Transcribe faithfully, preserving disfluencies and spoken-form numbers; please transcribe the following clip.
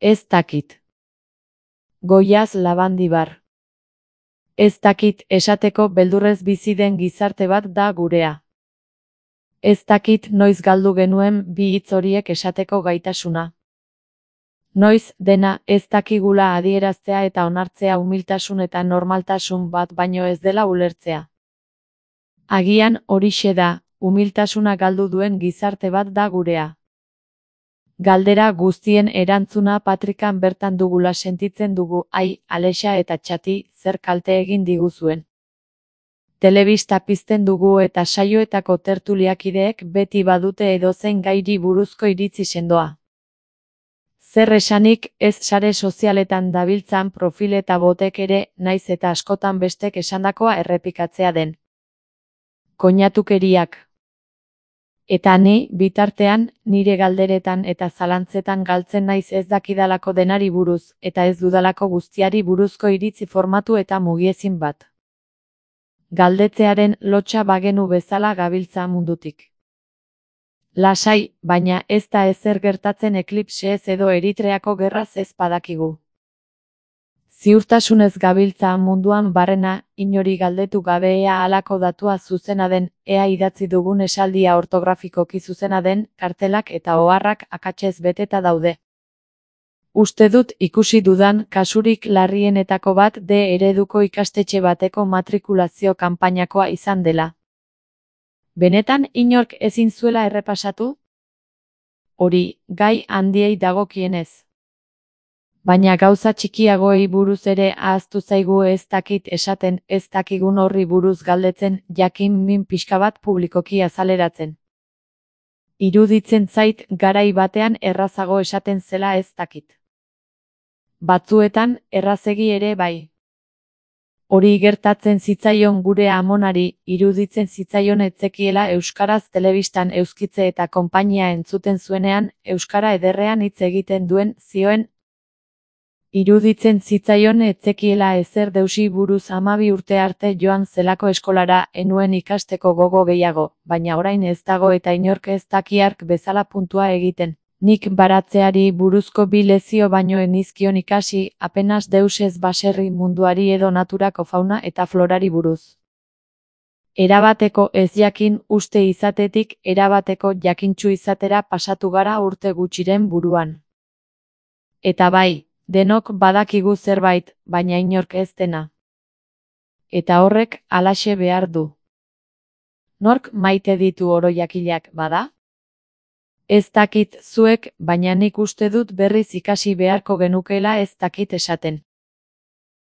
Ez dakit. Goiaz Labandibar. Ez dakit esateko beldurrez bizi den gizarte bat da gurea. Ez dakit noiz galdu genuen bi hitz horiek esateko gaitasuna. Noiz dena ez dakigula adieraztea eta onartzea umiltasun eta normaltasun bat baino ez dela ulertzea. Agian horixe da, umiltasuna galdu duen gizarte bat da gurea. Galdera guztien erantzuna Patrikan bertan dugula sentitzen dugu, ai, Alexa eta Txati, zer kalte egin diguzuen. Telebista pizten dugu eta saioetako tertuliakideek beti badute edozein gairi buruzko iritzi sendoa. Zer esanik ez sare sozialetan dabiltzan profil eta botek ere, naiz eta askotan bestek esandakoa errepikatzea den. Koinatukeriak. Eta ni, bitartean, nire galderetan eta zalantzetan galtzen naiz ez dakidalako denari buruz, eta ez dudalako guztiari buruzko iritzi formatu eta mugiezin bat. Galdetzearen lotsa bagenu bezala gabiltza mundutik. Lasai, baina ez da ezer gertatzen eklipseez edo Eritreako gerraz ez badakigu. Ziurtasunez gabiltza munduan barrena, inori galdetu gabe ea halako datua zuzena den, ea idatzi dugun esaldia ortografikoki zuzena den, kartelak eta oharrak akatsez beteta daude. Uste dut ikusi dudan kasurik larrienetako bat D ereduko ikastetxe bateko matrikulazio kanpainakoa izan dela. Benetan inork ezin zuela errepasatu? Hori, gai handiei dagokienez. Baina gauza txikiagoei buruz ere ahaztu zaigu ez dakit esaten, ez dakigun horri buruz galdetzen, jakin min pixka bat publikoki azaleratzen. Iruditzen zait garai batean errazago esaten zela ez dakit. Batzuetan, errazegi ere bai. Hori gertatzen zitzaion gure amonari, iruditzen zitzaion etzekiela euskaraz telebistan euskitze eta konpainia entzuten zuenean, euskara ederrean hitz egiten duen, zioen. Iruditzen zitzaion etzekiela ezer deusi buruz hamabi urte arte joan zelako eskolara, enuen ikasteko gogo gehiago, baina orain ez dago eta inork ez dakiark bezala puntua egiten. Nik baratzeari buruzko bi lezio baino enizkion ikasi, apenas deus ez baserri munduari edo naturako fauna eta florari buruz. Erabateko ez jakin uste izatetik erabateko jakintsu izatera pasatu gara urte gutxiren buruan. Eta bai, denok badakigu zerbait, baina inork ez dena. Eta horrek halaxe behar du. Nork maite ditu oroiakilak, bada? Ez dakit zuek, baina nik uste dut berriz ikasi beharko genukeela ez dakit esaten.